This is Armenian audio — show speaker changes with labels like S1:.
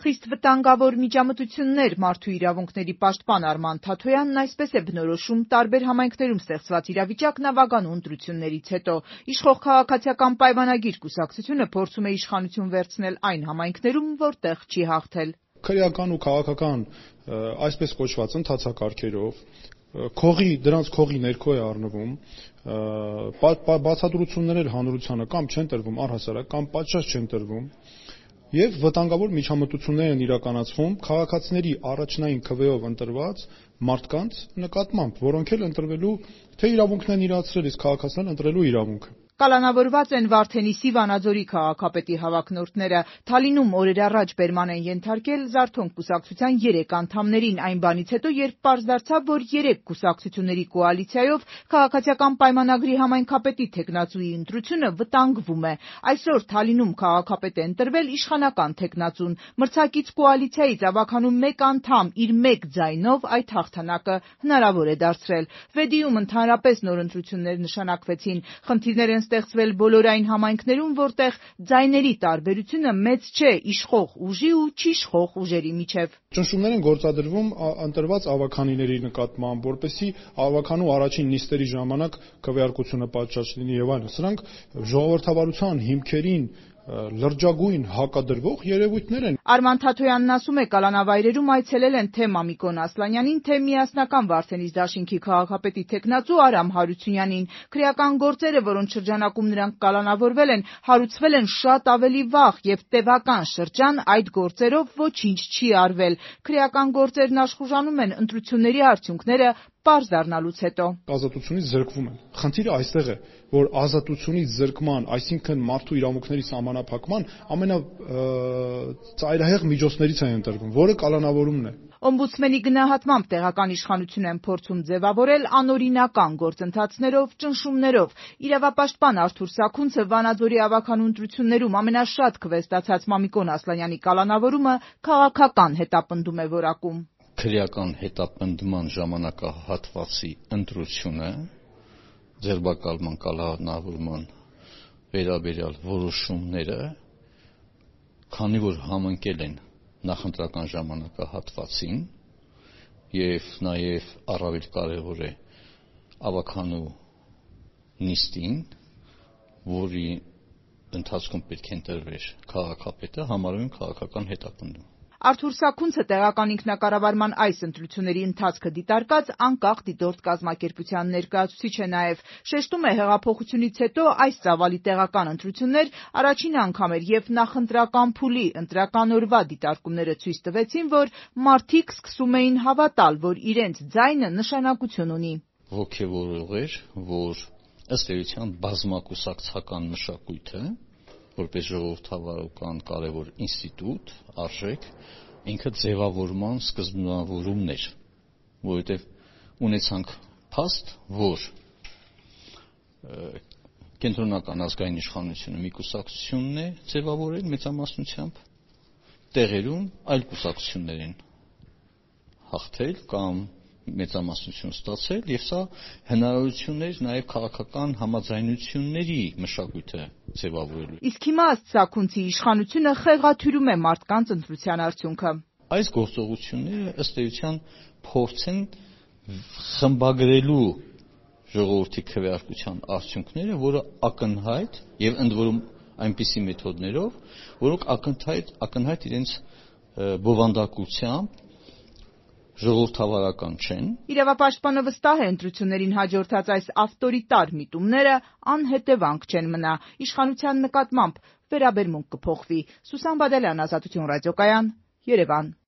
S1: Խիստ վտանգավոր միջամտություններ մարդու իրավունքների պաշտպան Արման Թաթոյանն այսպես է բնորոշում տարբեր համայնքներում ստեղծված իրավիճակն ավագանու ընտրություններից հետո։ Իշխող քաղաքացիական պայմանագիր կուսակցությունը փորձում է իշխանություն վերցնել այն համայնքներում, որտեղ չի հաղթել։
S2: Քրեական ու քաղաքական այսպես կոչված ընթացակարգերով դրանց քողի ներքո է առնվում, բացատրություններ հանրությանը կամ չեն տրվում առհասարակ, կամ պատշաճ չեն տրվում, եւ վտանգավոր միջամտություններ են իրականացվում քաղաքացիների առաջնային քվեով ընտրված մարդկանց նկատմամբ, որոնք էլ ընտրվելու թե իրավունքն են իրացրել, իսկ քաղաքացիներն ընտրելու իրավունքը։
S1: Կալանավորված են Վարդենիսի Վանաձորի քաղաքապետի հավակնորդները։ Թալինում օրեր առաջ բերման են ենթարկել Զարթոնք կուսակցության 3 անդամներին այն բանից հետո, երբ պարզ դարձավ, որ 3 կուսակցությունների կոալիցիայով քաղաքացիական պայմանագրի համայնքապետի թեկնածուի ընտրությունը վտանգվում է։ Այսօր Թալինում քաղաքապետ է ընտրվել իշխանական թեկնածուն։ Մրցակից կոալիցիայից ավագանու 1 անդամ իր 1 ձայնով այդ հաղթանակը հնարավոր է դարձրել։ Վեդիում ընդհանրապես նոր ընտրություններ նշանակվեցին։ Խնդիրներ են ստեղծվել բոլոր այն համայնքներում, որտեղ ձայների տարբերությունը մեծ չէ իշխող ուժի ու չիշխող ուժերի միջև։
S2: Ճնշումներ են գործադրվում ընտրված ավագանիների նկատմամբ, որպեսզի ավագանու առաջին նիստերի ժամանակ քվեարկությունը պատշաճ լինի եւ այլն։ Սրանք ժողովրդավարության հիմքերին լրջագույն հակադրվող երևույթներ են։
S1: Արման Թաթոյանն ասում է, կալանավայրերում այցելել են թե Մամիկոն Ասլանյանին, թե միասնական Վարդենիս դաշինքի քաղաքապետի թեկնածու Արամ Հարությունյանին։ Քրեական գործերը, որոնց շրջանակում նրանք կալանավորվել են, հարուցվել են շատ ավելի վաղ եւ տևական շրջան այդ գործերով ոչինչ չի արվել։ Քրեական գործերն աշխուժանում են ընտրությունների արդյունքները պարզ դառնալուց հետո։
S2: Ազատությունից զրկվում են։ Խնդիրը այստեղ է, որ ազատությունից զրկման, այսինքն մարդու իրավունքների սահմանափակման ամենածայրահեղ միջոցներից է ընտրվում, որը կալանավորումն է։
S1: Օմբուդսմենի գնահատմամբ տեղական իշխանությունը են փորձում ձևավորել անօրինական գործընթացներով, ճնշումներով։ Իրավապաշտպան Արթուր Սաքունցը Վանաձորի ավագանու ընտրություններում ամենաշատ քվե ստացած Մամիկոն Ասլանյանի կալանավորումը քաղաքական հետապնդում է որակում։
S3: Քրեական հետապնդման ժամանակահատվածի ընտրությունը ձերբակալման կալանավորման վերաբերյալ որոշումները, քանի որ համընկել են նախընտրական ժամանակահատվածին եւ նաեւ առավել կարեւոր է ավագանու նիստին, որի ընթացքում պետք է ընտրվեր քաղաքապետը, համարում են քաղաքական հետապնդում։
S1: Արթուր Սաքունցը տեղական ինքնակառավարման այս ընտրությունների ընթացքը դիտարկած անկախ դիտորդ կազմակերպության ներկայացուցիչ է նաև։ Շեշտում է, հեղափոխությունից հետո այս ծավալի տեղական ընտրություններ առաջին անգամ էր եւ նախընտրական փուլի ընտրական օրվա դիտարկումները ցույց տվեցին, որ մարդիկ սկսում էին հավատալ, որ իրենց ձայնը նշանակություն ունի։
S3: Ոգևորող էր, որ ըստ էության բազմակուսակցական մշակույթը որպես ժողովրդավարական կարևոր ինստիտուտ, արժեք, ինքը ձևավորման սկզբնավորումն էր, որովհետև ունեցանք փաստ, որ կենտրոնական ազգային իշխանությունը մի կուսակցությունն է ձևավորել մեծամասնությամբ, տեղերում այլ կուսակցություններ են հաղթել կամ մեծամասնություն ստացել, եւ սա հնարավորություններ նաեւ քաղաքական համաձայնությունների մշակույթը ձևավորելու։
S1: Իսկ հիմա ըստ Սաքունցի իշխանությունը խեղաթյուրում է մարդկանց ընտրության արդյունքը։
S3: Այս գործողությունները ըստ էության փորձ են խմբագրելու ժողովրդի քվեարկության արդյունքները, որը ակնհայտ եւ ընդ որում այնպիսի մեթոդներով, որոնք ակնհայտ իրենց բովանդակությամբ ժողովրդավարական չեն։
S1: Իրավապաշտպանը վստահ է, ընտրություններին հաջորդած այս ավտորիտար միտումները անհետևանք չեն մնա։ Իշխանության նկատմամբ վերաբերմունք կփոխվի։ Սուսան Բադալյան, Ազատություն ռադիոկայան, Երևան։